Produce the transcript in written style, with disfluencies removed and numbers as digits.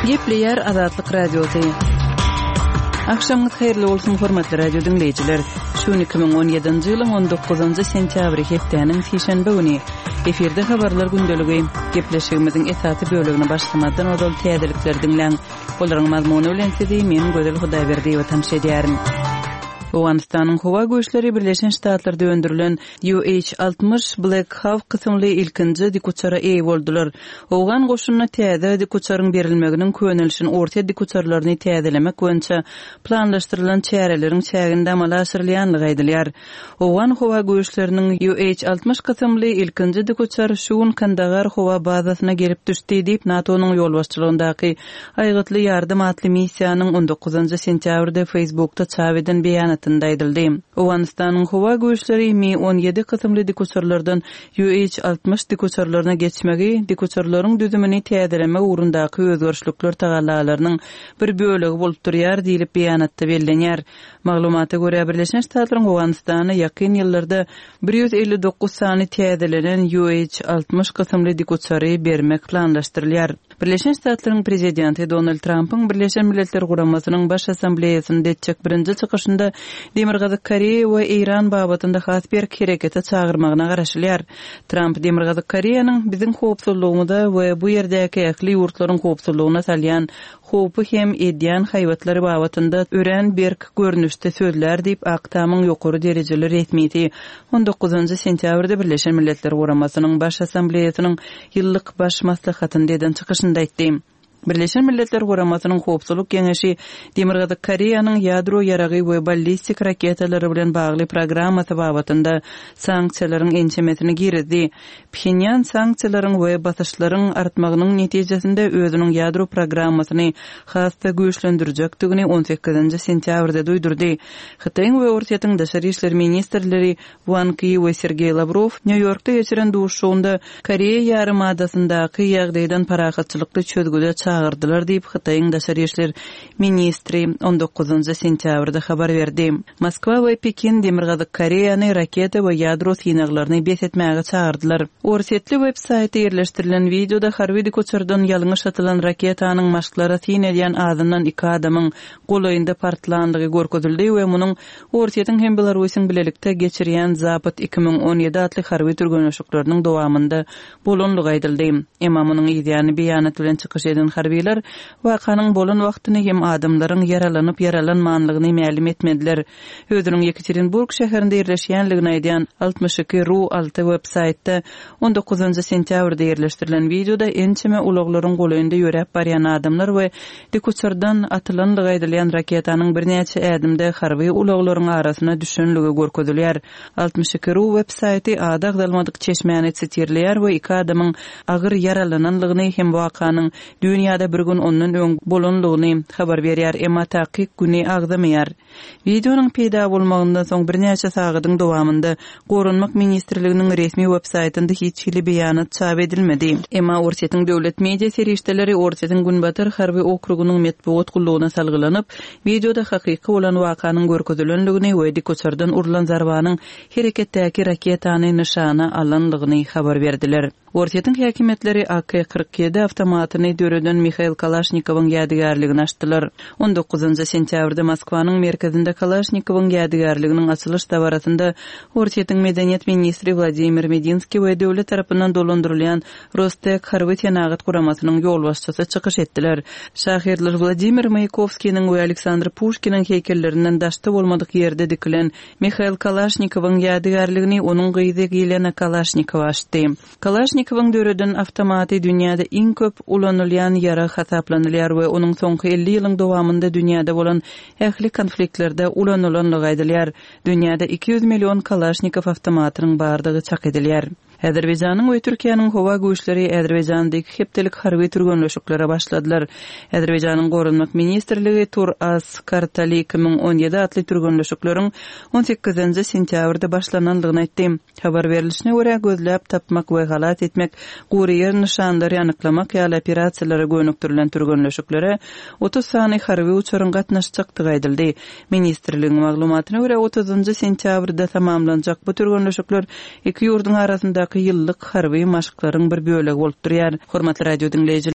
Gepleýär Azatlyk Radiosy. Agşamyňyz haýyrly bolsun, hormatly radio diňleýjiler. Şu gün 2017-nji ýylyň 19-njy sentýabry hepdäniň sişenbe güni. Efirde habarlar gündeligi. Gepleşigimiziň esasy bölegine başlamazdan ozal täzelikleri diňläň. Olaryň mazmuny bilen sizi men Gözel Hudaýberdiýewa tanyş edýärin. Owganystanyň howa güýçleri Birleşen Ştatlarda öndürilen UH-60 Black Hawk kysymly ilkinji dikuçara eýe boldular. Owgan goşunyna täze dikuçaryň berilmeginiň könelişen orsýet dikuçarlaryny täzelemek boýunça planlaşdyrylan çäreleriň çäginde amala aşyrylýanlygy aýdylýar. Owgan howa güýçleriniň UH-60 kysymly ilkinji dikuçar şu gün Kandagar howa bazasyna gelip düşdi diýip, NATO-nyň ýolbaşçylygyndaky Aýgytly ýardam atly missiýanyň on dokuzynjy sentýabrda Facebookda çap eden beýanatynda aýdyldy. Owganystanyň howa güýçleri Mi 17 kysymly dikuçarlardan UH 60 dikuçarlaryna geçmegi dikuçarlaryň düzümini täzelemek ugrundaky özgerişlikler tagallalarynyň bir bölegi bolup durýar diýlip beýanatda bellenýär. Maglumata görä, Birleşen Ştatlaryň Owganystana ýakyn ýyllarda 159 sany täzelenen UH 60 kysymly dikuçary bermek planlaşdyrylýar. Birleşen Ştatlaryň Prezidenti Donald Trampyň Birleşen Milletler Guramasynyň Baş Assambleýasynda etjek birinji çykyşynda Demirgazyk Koreýa we Eýran babatynda has berk herekete çagyrmagyna garaşylýar. Tramp Demirgazyk Koreýanyň biziň howpsuzlygymyza we bu ýerdäki ähli ýurtlaryň howpsuzlygyna salýan howpy hem edýän haýbatlary babatynda örän berk görnüşde sözlär diýip, Ak Tamyň ýokary derejeli resmisi on dokuzynjy sentýabrda Birleşen Milletler Guramasynyň Baş Assambleýasynyň ýyllyk baş maslahatynda eden çykyşynda aýtdy. Birleşen Milletler Guramasynyň Howpsuzlyk Geňeşi Demirgazyk Koreýanyň ýadro ýaragy we ballistik raketalary bilen bagly programmasy babatynda sanksiýalaryň ençemesini girizdi. Phenýan sanksiýalaryň we basyşlaryň artmagynyň netijesinde özüniň ýadro programmasyny has-da güýçlendirjekdigini on sekizinji sentýabrda duýdurdy. Hytaýyň we Orsýetiň daşary işler ministrleri Wang Ýi we Sergeý Lawrow Nýu-Ýorkda geçiren duşuşygynda Koreýa ýarymadasyndaky ýagdaýdan parahatçylykly çözgüde çagyrdylar diýip, Hytaýyň daşary işler ministri on dokuzynjy sentýabrda habar berdi. Moskwa we Pekin Demirgazyk Koreýany raketa we ýadro synaglaryny bes etmäge çagyrdylar. Orsýetli web-saýtda ýerleşdirilen wideoda harby dikuçardan ýalňyş atylan raketanyň maşklara syn edýän azyndan iki adamyň golaýynda partlandygy görkezildi we munuň Orsýetiň hem Belarusyň bilelikde geçirýän Zapad 2017 atly harby türgenleşikleriniň dowamynda bolanlygy aýdyldy. Emma munuň yzýany beýanat bilen çykyş eden harbylar wakanyň bolan wagtyny hem adamlaryň ýaralanyp-ýaralanmanlygyny mälim etmediler. Özüniň Ýekaterinburg şäherinde ýerleşýänligini aýdýan 62 ru 6 web-saýtda on dokuzynjy sentýabrda ýerleşdirilen wideoda ençeme ulaglaryň golaýynda ýöräp barýan adamlar we Dikuçardan atylandygy aýdylýan raketanyň birnäçe ädimde harby ulaglaryň arasyna düşenligi görkezilýär. 62 ru web saýty ady agzalmadyk çeşmäni sitirleýär we iki adamyň agyr ýaralananlygyny hem wakanyň düýn ýa-da bir gün ondan öň bolanlygyny habar berýär, emma takyk güni agzamaýar. Wideonyň peýda bolmagyndan soň birnäçe sagadyň dowamynda Goranmak ministrliginiň resmi websaýtynda hiç hili beýanat çap edilmedi. Emma Orsýetiň döwlet media serişdeleri Orsýetiň Günbatar harby okrugynyň metbugat gullugyna salgylanyp, wideoda hakyky bolan wakanyň görkezilendigini we dikuçardan urlan zarbanyň hereketdäki raketany nyşana alandygyny habar berdiler. Orsýetiň häkimiýetleri AK 47 awtomatyny döreden Mihail Kalaşnikowyň ýadygärligini açdylar. On dokuzynjy sentýabrda Moskwanyň merkezinde Kalaşnikowyň ýadygärliginiň açylyş dabarasynda Orsýetiň medeniýet ministri Wladimir Medinskiý we döwlet tarapyndan dolandyrylýan Rostek harby-senagat guramasynyň ýolbaşçysy çykyş etdiler. Şahyrlar Wladimir Maýakowskiniň we Aleksandr Puşkiniň heýkellerinden daşda bolmadyk ýerde dikilen Mihail Kalaşnikowyň ýadygärligini onuň gyzy Ýelena Kalaşnikowa açdy. Kalaşnikowyň döreden awtomaty dünýäde iň köp ulanylýan ýarag hasaplanylýar we onuň soňky 50 ýylyň dowamynda dünýäde bolan ähli konfliktlerde ulanylanlygy aýdylýar. Dünýäde 200 million Kalaşnikow awtomatynyň bardygy çak edilýär. Azerbaýjanyň we Türkiýäniň howa güýçleri Azerbaýjanda iki hepdelik harby türgenleşiklere başladylar. Azerbaýjanyň Goranmak ministrligi Tur-As Kartali 2017 atly türgenleşikleriň on sekizinji sentýabrda başlanandygyny aýtdy. Habar berlişine görä, gözläp tapmak we halas etmek, gury ýer nyşanlary anyklamak ýaly operasiýalara gönükdirilen türgenleşiklere 30 sany harby uçaryň gatnaşjakdygy aýdyldy. Ministrligiň maglumatyna görä, otuzynjy sentýabrda tamamlanjak bu türgenleşikler iki ýurduň arasyndaky ýyllyk harby maşklaryň bir bölegi bolup durýar. Hormatly radio diňleýjiler!